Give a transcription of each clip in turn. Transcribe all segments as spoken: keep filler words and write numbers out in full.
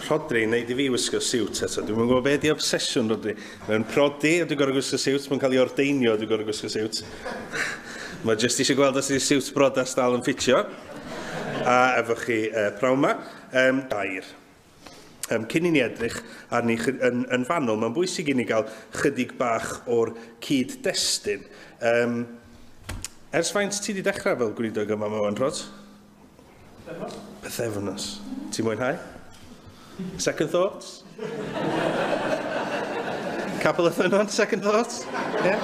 Rhodri yn neud i fi wisgo siwt eto. Dwi'm yn gwybod beth di obsesiwn Rhodri. Mae'n prodi a dwi'n gorfod gwisgo siwt, mae'n cael ei ordeinio a dwi'n gorfod gwisgo siwt. Mae jyst eisiau gweld os ydy siwt brodas dal yn ffitio. A efo chi uh, prawn ma. Um, dair. Um, cyn i ni edrych arni yn, yn fanwl, mae'n bwysig i ni gael chydig bach o'r cyd-destun. Um, ers faint ti wedi dechrau fel gweinidog yma, Mawan, Rod? Pythefnos. Ti'n mwynhau? Second thoughts? Capel y Ffynnon, second thoughts? Yeah.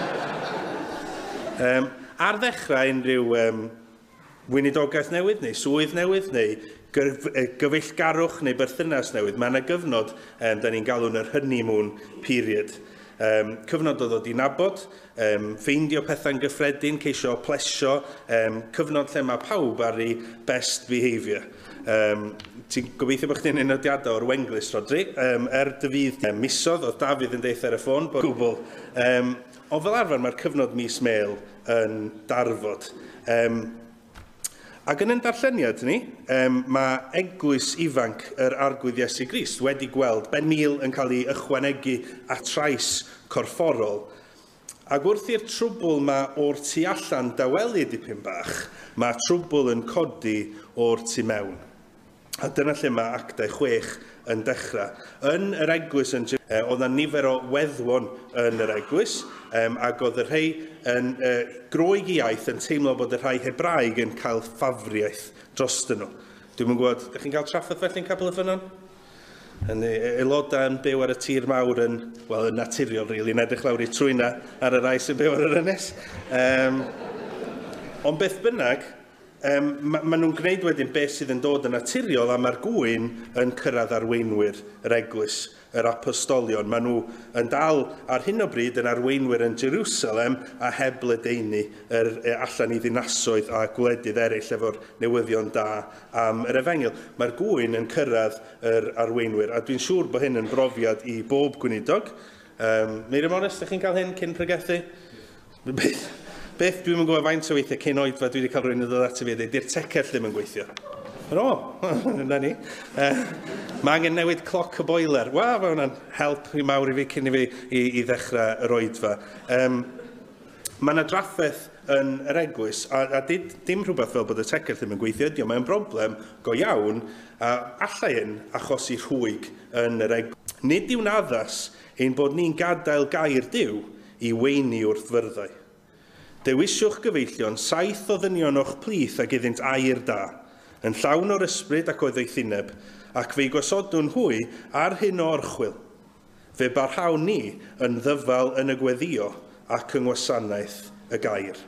Um, ar ddechrau unrhyw um, weinidogaeth newydd, neu swydd newydd, neu gyfeillgarwch neu berthynas newydd, mae yna gyfnod um, da ni'n galw'n yr honeymoon period. Um, cyfnod o ddod i nabod, um, ffeindio pethau'n gyffredin, ceisio plesio, um, cyfnod lle mae pawb ar ei best behaviour. Um, ti'n gobeithio bod chdi'n nodiadau o'r Wenglys, Rodri. Um, er dy fydd um, misodd, oedd Dafydd yn deud ar y ffôn, bod gwbl. Um, ond fel arfer mae'r cyfnod mis mêl yn darfod. Um, ac yn ein darlleniad ni, um, mae eglwys ifanc yr Arglwydd Iesu Grist wedi gweld ben mil yn cael ei ychwanegu at trais corfforol. Ac wrth i'r trwbl ma o'r tu allan dawelu dipyn bach, mae trwbl yn codi o'r tu mewn. A dyna lle mae Actau chwech yn dechrau. Yn yr eglwys, yn, eh, oedd yna nifer o weddwon yn yr eglwys, um, ac oedd y rhai yn uh, Groeg iaith yn teimlo bod y rhai Hebraeg yn cael ffafriaeth drostyn nhw. Dwi'm yn gwybod, ydych chi'n cael trafferth felly'n Capel y Ffynnon? Yn aelodau yn byw ar y tir mawr yn, wel, yn naturiol, really, yn edrych lawr i trwyna ar y rai sy'n byw ar yr ynys. Um, ond beth bynnag, Um, ma, ma nhw'n gwneud wedyn beth sydd yn dod yn naturiol a mae'r gŵyn yn cyrraedd arweinwyr yr eglwys, yr apostolion. Maen nhw yn dal ar hyn o bryd yn arweinwyr yn Jerusalem a heb ledaenu yr, allan i ddinasoedd a gwledydd eraill efo'r newyddion da am yr efengyl. Mae'r gŵyn yn cyrraedd yr arweinwyr a dwi'n siŵr bod hyn yn brofiad i bob gweinidog. Um, Miriam Morris, ydych chi'n cael hyn cyn pregethu? Beth? Beth dwi'n gwybod faint o weithiau cyn oedfa dwi wedi cael rhywun yn dod at fi a dweud, di'r tecell ddim yn gweithio. O, na ni. Uh, mae angen newid cloc y boiler. Wel, mae hwnna'n help i mawr i fi cyn i fi i, i ddechrau yr oedfa. Um, mae yna drafferth yn yr eglwys, a, a did, dim rhywbeth fel bod y tecell ddim yn gweithio ydi o, mae'n broblem go iawn, a allai hyn achosi rhwyg yn yr eglwys. Nid yw'n addas ein bod ni'n gadael gair Duw i weini wrth fyrddau. Dewisiwch gyfeillion saith o ddynion o'ch plith ag iddynt air da, yn llawn o'r ysbryd ac o ddoethineb, ac fe'i gosodwn hwy ar hyn o orchwyl. Fe barhawn ni yn ddyfal yn y gweddio ac yng ngwasanaeth y gair.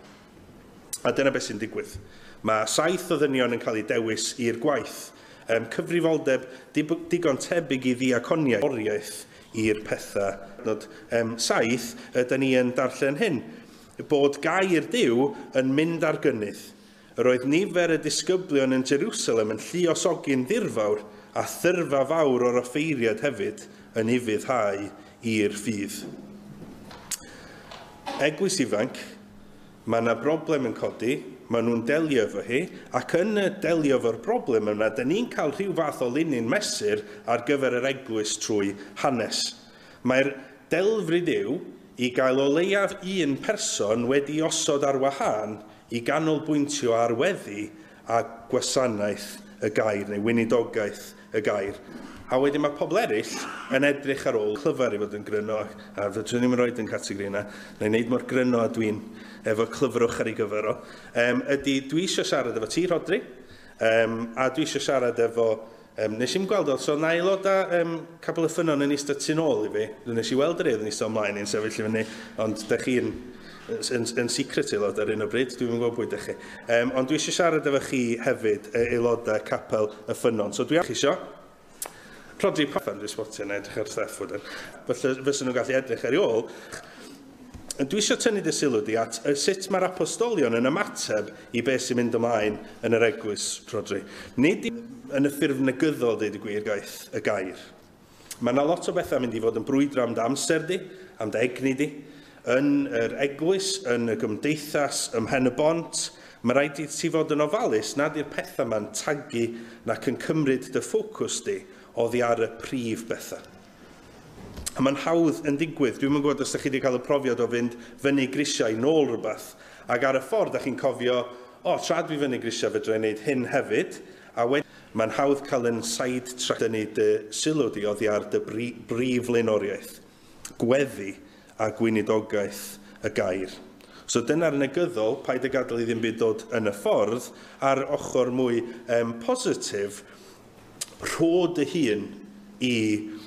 A dyna beth sy'n digwydd. Mae saith o ddynion yn cael eu dewis i'r gwaith. Um, cyfrifoldeb digon tebyg i ddiaconiaeth oriaeth i'r pethau. Nod, um, saith, ydyn ni yn darllen hyn. Bod gair Duw yn mynd ar gynnydd. Yr oedd nifer y disgyblion yn Jerusalem yn lluosogi'n ddirfawr a thyrfa fawr o'r offeiriad hefyd yn ufuddhau i'r ffydd. Eglwys ifanc, mae yna broblem yn codi, maen nhw'n delio efo hi, ac yn y delio efo'r broblem yna, dyn ni'n cael rhyw fath o linyn mesur ar gyfer yr eglwys trwy hanes. Mae'r delfryd yw i gael o leiaf un person wedi osod ar wahân i ganolbwyntio ar weddi a gwasanaeth y gair, neu weinidogaeth y gair. A wedyn mae pobl eraill yn edrych ar ôl clyfar i fod yn gryno, a fydwn ni'n rhoi yn categori yna, neu wneud mor gryno a dwi'n efo clyfrwch ar ei gyfer o, um, ydy dwi eisiau siarad efo ti, Rhodri, um, a dwi eisiau siarad efo. Um, nes i'n gweld, so na aelodau um, Capel y Ffynnon yn eistedd tu nôl i fi. Nes i weld yr eidd yn eistedd ymlaen i'n sefyll i fyny, ond dych chi'n yn, yn secret aelod ar un o bryd, dwi'n gwybod pwy dych chi. Um, ond dwi eisiau siarad efo chi hefyd, aelodau Capel y Ffynnon. So dwi eisiau. Rhodri Pafan, dwi'n spotio yn edrych ar Steff wedyn. Felly fysen nhw'n gallu edrych ar ei ôl. Dwi eisiau tynnu dy sylw di at sut mae'r apostolion yn ymateb i beth sy'n mynd ymlaen yn yr eglwys, Rhodri. Nid yn y ffurf negyddol, deud y gwir, gaeth y gair. Mae yna lot o bethau mynd i fod yn brwydro am dy amser di, am dy egni di, yn yr eglwys, yn y gymdeithas, ym Mhen y Bont. Mae rhaid i ti fod yn ofalus nad yw'r pethau yma'n tagu nac yn cymryd dy ffocws di oddi ar y prif bethau. A mae'n hawdd yn digwydd. Dwi'm yn gwybod os ydych chi wedi cael y profiad o fynd fyny grisiau nôl rhywbeth. Ac ar y ffordd, ydych chi'n cofio, o, tra dwi fyny grisiau fedra i wneud hyn hefyd. A wedyn, mae'n hawdd cael yn side-track dynnu dy sylw di oddi ar dy brif flaenoriaeth. Gweddi a gweinidogaeth y gair. So dyna'r negyddol, paid y gadael i ddim byd dod yn y ffordd, a'r ochr mwy um, positif, rho dy hun i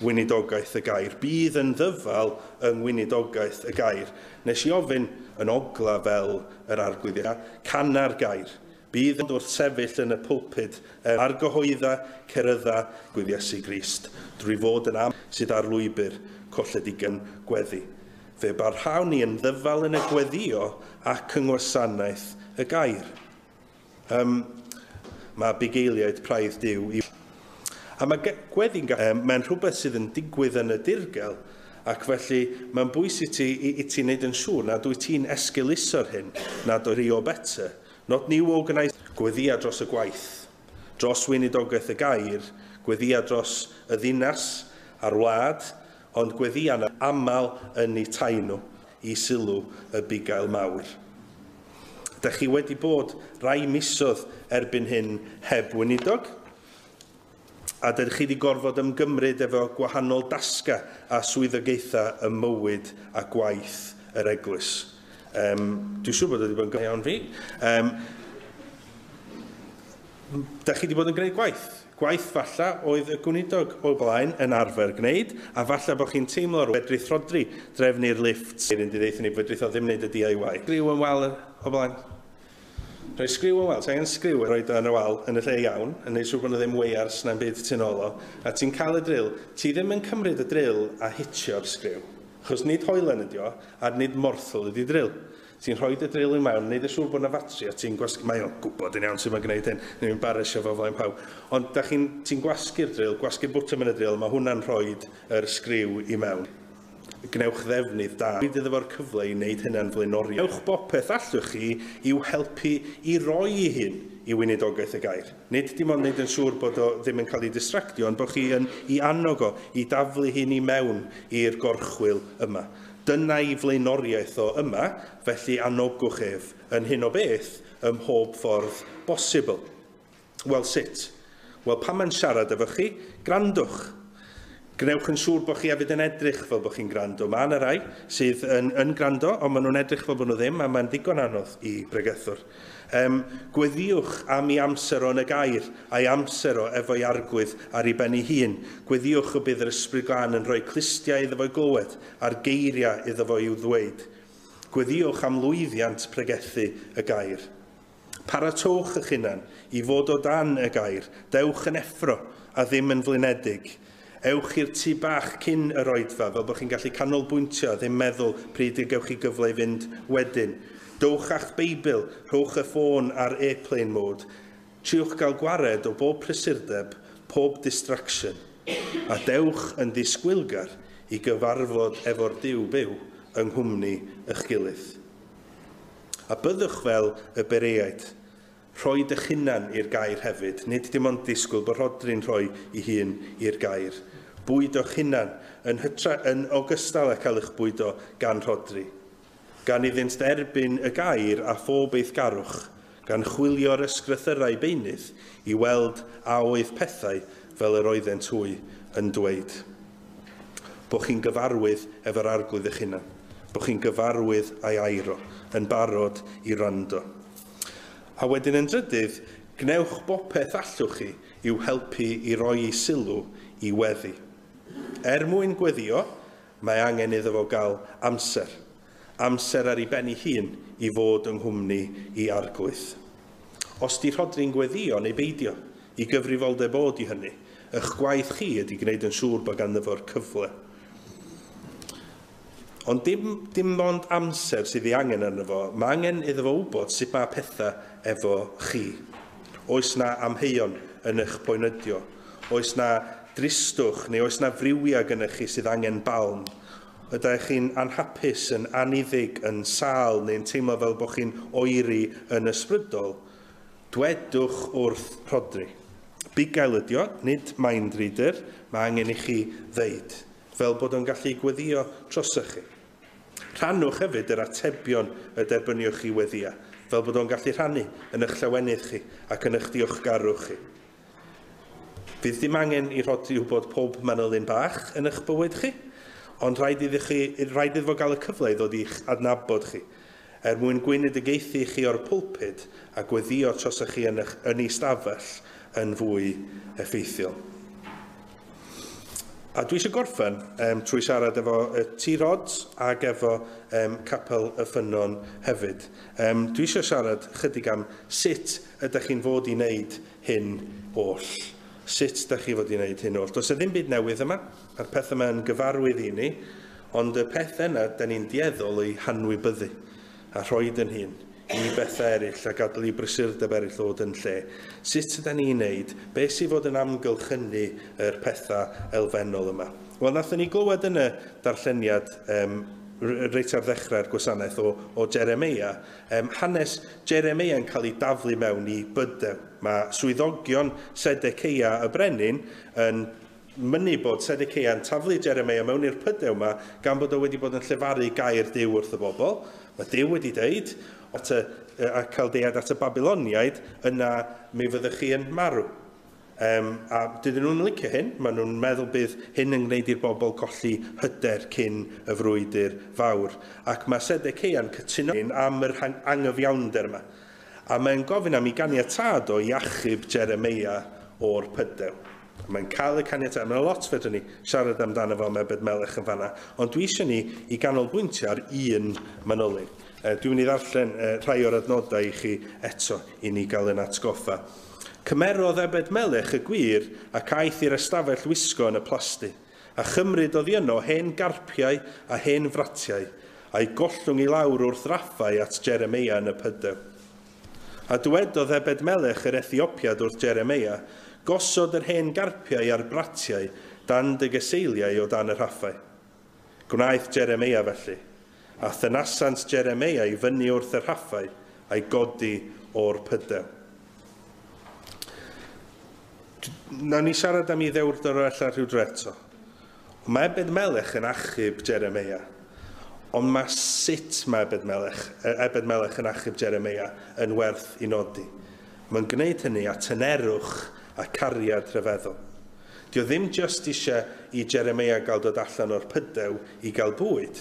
weinidogaeth y gair. Bydd yn ddyfal yng ngweinidogaeth y gair. Nes i ofyn yn ogla fel yr arglwydd, cana'r gair. Bydd yn wrth sefyll yn y pulpud argyhoedda, cerydda, Arglwydd Iesu Grist, drwy fod yn am sydd ar lwybr colledigaeth gweddi. Fe barhawn ni yn ddyfal yn y gweddio ac yng ngwasanaeth y gair. Um, mae bugeiliaid praidd Duw i... A mae gweddi'n um, mae'n rhywbeth sydd yn digwydd yn y dirgel, ac felly mae'n bwysig ti, i, i ti wneud yn siŵr nad wyt ti'n esgeuluso'r hyn, nad o'r o better. Not new organised. Gweddia dros y gwaith, dros weinidogaeth y gair, gweddia dros y ddinas a'r wlad, ond gweddia yn aml yn eu tai nhw i sylw y bugail mawr. Dych chi wedi bod rai misoedd erbyn hyn heb weinidog, a dych chi wedi gorfod ymgymryd efo gwahanol dasga a swyddogaethau ym mywyd a gwaith yr eglwys. Um, dwi'n siŵr bod wedi bod yn iawn fi. Um, dych chi wedi bod yn gwneud gwaith. Gwaith falla oedd y gweinidog o'r blaen yn arfer gwneud, a falla bod chi'n teimlo fedrith Rhodri drefnu'r lift. Un di ddeithio ni, fedrith o ddim wneud y D I Y. Sgriw yn wal o blaen. Rhoi sgriw yn wal, ti'n angen sgriw rhoi yn y wal yn y lle iawn, yn neud siŵr bod yna ddim weiars na'n byd tu nôl o, a ti'n cael y drill, ti ddim yn cymryd y drill a hitio'r sgriw. Achos nid hoelen ydi o, a nid morthwl ydi drill. Ti'n rhoi y drill i mewn, neud yn siŵr bod yna fatri, a ti'n gwasgu... Mae o'n gwybod yn iawn sut mae'n gwneud hyn, neu'n embarrassio fo flaen pawb. Ond da chi'n, ti'n gwasgu'r drill, gwasgu'r bwtwm yn y drill, mae hwnna'n rhoi yr sgriw i mewn. Gwnewch ddefnydd da. Rhaid iddo fo'r cyfle i wneud hynna'n flaenoriaeth. Gwnewch bopeth allwch chi i'w helpu i roi ei hun i weinidogaeth y gair. Nid dim ond wneud yn siŵr bod o ddim yn cael ei distractio, ond bod chi yn i annog o, i daflu hyn i mewn i'r gorchwyl yma. Dyna ei flaenoriaeth o yma, felly anogwch ef yn hyn o beth ym mhob ffordd bosibl. Wel, sut? Wel, pan mae'n siarad efo chi, grandwch. Gwnewch yn siŵr bod chi hefyd yn edrych fel bod chi'n gwrando. Mae yna rai sydd yn, yn gwrando, ond maen nhw'n edrych fel bod nhw ddim, a mae'n ddigon anodd i bregethwr. Um, gweddiwch am ei amser o yn y gair, a'i amser o efo'i arglwydd ar ei ben ei hun. Gweddiwch y bydd yr Ysbryd Glân yn rhoi clustiau iddo fo'i glywed, a'r geiriau iddo fo i'w ddweud. Gweddiwch am lwyddiant pregethu y gair. Paratowch eich hunan i fod o dan y gair. Dewch yn effro a ddim yn flinedig. Ewch i'r tŷ bach cyn yr oedfa, fel bod chi'n gallu canolbwyntio, ddim meddwl pryd y gewch chi gyfle i fynd wedyn. Dowch a'ch Beibl, rhowch y ffôn ar airplane mode. Triwch gael gwared o bob prysurdeb, pob distraction. A dewch yn ddisgwylgar i gyfarfod efo'r Duw byw yng nghwmni eich gilydd. A byddwch fel y Bereaid. Rhoi eich hunan i'r gair hefyd, nid dim ond disgwyl bod Rhodri'n rhoi ei hun i'r gair. Bwydo'ch hunan yn, hytra, yn ogystal â cael eich bwydo gan Rhodri. Gan iddynt derbyn y gair a phob eiddgarwch, gan chwilio'r ysgrythyrau beunydd i weld a oedd pethau fel yr oeddent hwy yn dweud. Bo chi'n gyfarwydd efo'r arglwydd eich hunan, bo chi'n gyfarwydd a'i airo, yn barod i wrando. A wedyn yn drydydd, gwnewch bopeth allwch chi i'w helpu i roi ei sylw i weddi. Er mwyn gweddio, mae angen iddo fo gael amser. Amser ar ei ben ei hun i fod yng nghwmni i arglwydd. Os di Rhodri'n gweddio neu beidio, i gyfrifoldeb o di hynny, eich gwaith chi ydy gwneud yn siŵr bod ganddo fo'r cyfle. Ond dim, dim ond amser sydd ei angen arno fo, mae angen iddo fo wybod sut mae pethau efo chi. Oes na amheuon yn eich poenydio? Oes na dristwch neu oes na friwiau gennych chi sydd angen balm? Ydych chi'n anhapus, yn aniddig, yn sâl neu'n teimlo fel bod chi'n oeri yn ysbrydol? Dwedwch wrth Rhodri. Bugail ydi o, nid mind reader, mae angen i chi ddeud, fel bod o'n gallu gweddio drosoch chi. Rhannwch hefyd yr atebion y derbyniwch chi weddia, fel bod o'n gallu rhannu yn eich llawenydd chi ac yn eich diolchgarwch chi. Fydd dim angen i Rhodri wybod pob manylyn bach yn eich bywyd chi, ond rhaid iddo chi, rhaid iddo fo gael y cyfle i ddod i'ch adnabod chi, er mwyn gweinidogaethu chi o'r pulpud a gweddio trosoch chi yn, eich, yn ei stafell yn fwy effeithiol. A dwi eisiau gorffen um, trwy siarad efo uh, T-Rod ac efo um, Capel y Ffynnon hefyd. Um, dwi eisiau siarad chydig am sut ydych chi'n fod i wneud hyn oll. Sut ydych chi fod i wneud hyn oll. Does e ddim byd newydd yma, a'r peth yma yn gyfarwydd i ni, ond y peth yna, da ni'n dueddol o'i hanwybyddu a rhoid yn hun i bethau eraill a gadael i brysurdeb eraill ddod yn lle. Sut ydyn ni'n neud? Be sydd fod yn amgylchynu yr pethau elfennol yma? Wel, nathon ni glywed yn y darlleniad um, reit ar ddechrau'r gwasanaeth o, o Jeremia, um, hanes Jeremia yn cael ei daflu mewn i bydew. Mae swyddogion Sedecia y brenin yn mynnu bod Sedecia yn taflu Jeremia mewn i'r pydew yma gan bod o wedi bod yn llefaru gair Duw wrth y bobl. Mae Duw wedi deud, at y, a Chaldeaid at y Babiloniaid, yna mi fyddwch chi yn marw. Um, a dydyn nhw'n licio hyn, maen nhw'n meddwl bydd hyn yn gwneud i'r bobl colli hyder cyn y frwydr fawr. Ac mae Sedecia'n cytuno am yr angyfiawnder yma. A mae'n gofyn am ei ganiatâd o i achub Jeremia o'r pydew. Mae'n cael y caniatâd. Mae'n lot fedrwn ni siarad amdano fo am Ebed Melech yn fanna, ond dwi eisiau ni i ganolbwyntio ar un manylyn. Dwi'n mynd i ddarllen rhai o'r adnodau i chi eto i ni gael yn atgoffa. Cymerodd Ebed Melech y gwir ac aeth i'r ystafell wisgo yn y plasty, a chymryd oddi yno hen garpiau a hen fratiau, a'i gollwng i lawr wrth raffau at Jeremia yn y pydew. A dywedodd Ebed Melech yr Ethiopiad wrth Jeremia, gosod yr hen garpiau a'r bratiau dan dy gyseiliau o dan y rhaffau. Gwnaeth Jeremia felly, a thynasant Jeremia i fyny wrth y rhaffau a'i godi o'r pydew. Nawn ni siarad am ei ddewrder o ella rhyw dro eto. Mae Ebed Melech yn achub Jeremia, ond mae sut mae Ebed Melech, Ebed Melech yn achub Jeremia yn werth i nodi. Mae'n gwneud hynny a tynerwch a cariad rhyfeddol. Dio ddim just eisiau i Jeremia gael dod allan o'r pydew i gael bwyd.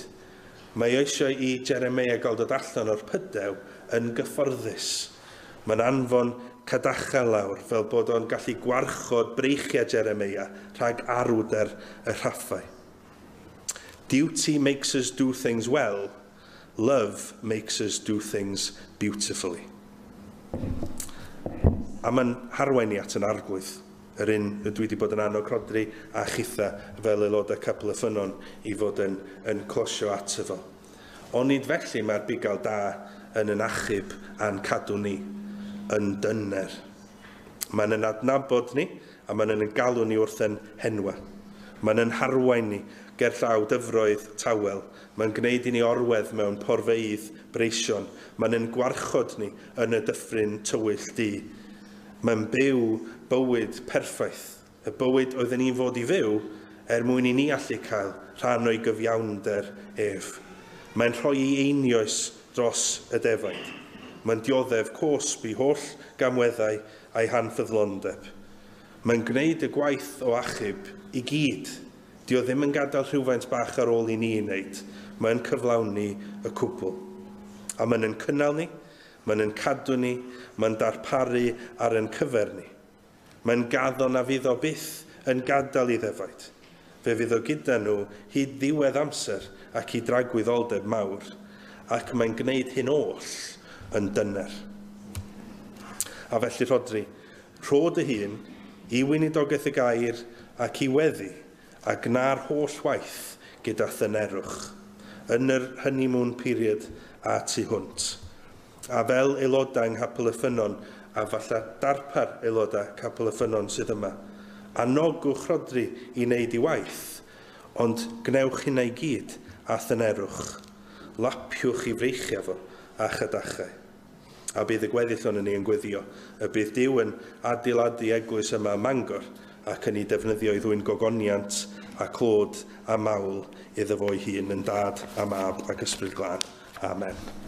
Mae eisiau i Jeremia gael dod allan o'r pydew yn gyfforddus. Mae'n anfon cadachau lawr fel bod o'n gallu gwarchod breichiau Jeremia rhag arwder y rhaffau. Duty makes us do things well. Love makes us do things beautifully. A mae'n harwain ni at yn arglwydd, yr un dwi wedi bod yn annog Rhodri a chitha fel aelodau Capel y Ffynnon i fod yn, yn closio ato fo. Onid felly mae'r bugail da yn yn achub a'n cadw ni yn dyner. Mae'n yn adnabod ni a mae'n yn galw ni wrth yn henwa. Mae'n yn harwain ni ger llaw dyfroedd tawel. Mae'n gwneud i ni orwedd mewn porfeydd breision. Mae'n yn gwarchod ni yn y dyffryn tywyll du. Mae'n byw bywyd perffaith. Y bywyd oedden ni'n fod i fyw er mwyn i ni allu cael rhan o'i gyfiawnder ef. Mae'n rhoi ei einioes dros y defaid. Mae'n dioddef cosb i holl gamweddau a'i hanffyddlondeb. Mae'n gwneud y gwaith o achub i gyd. Dio ddim yn gadael rhywfaint bach ar ôl i ni wneud. Mae'n cyflawni y cwbl. A mae'n yn cynnal ni, mae'n yn cadw ni, mae'n darparu ar yn cyfer ni. Mae'n gaddo na fydd o byth yn gadael i ddefaid. Fe fydd o gyda nhw hyd ddiwedd amser ac i dragwyddoldeb mawr. Ac mae'n gwneud hyn oll yn dyner. A felly Rhodri, rho dy hun i weinidogaeth y gair ac i weddi a gna'r holl waith gyda thynerwch yn yr honeymoon period a tu hwnt. A fel aelodau yng Nghapel y Ffynnon, a falle darpar aelodau Capel y Ffynnon sydd yma, anogwch Rhodri i wneud ei waith, ond gwnewch hynna i gyd a thynerwch. Lapiwch i freichiau fo a chadachau. A bydd y gweddill o'n ni yn gweddio. Y bydd Duw yn adeiladu eglwys yma ym Mangor ac yn ei defnyddio i ddwyn gogoniant a clod a mawl iddo fo'i hun yn Dad a Mab ac Ysbryd Glân. Amen.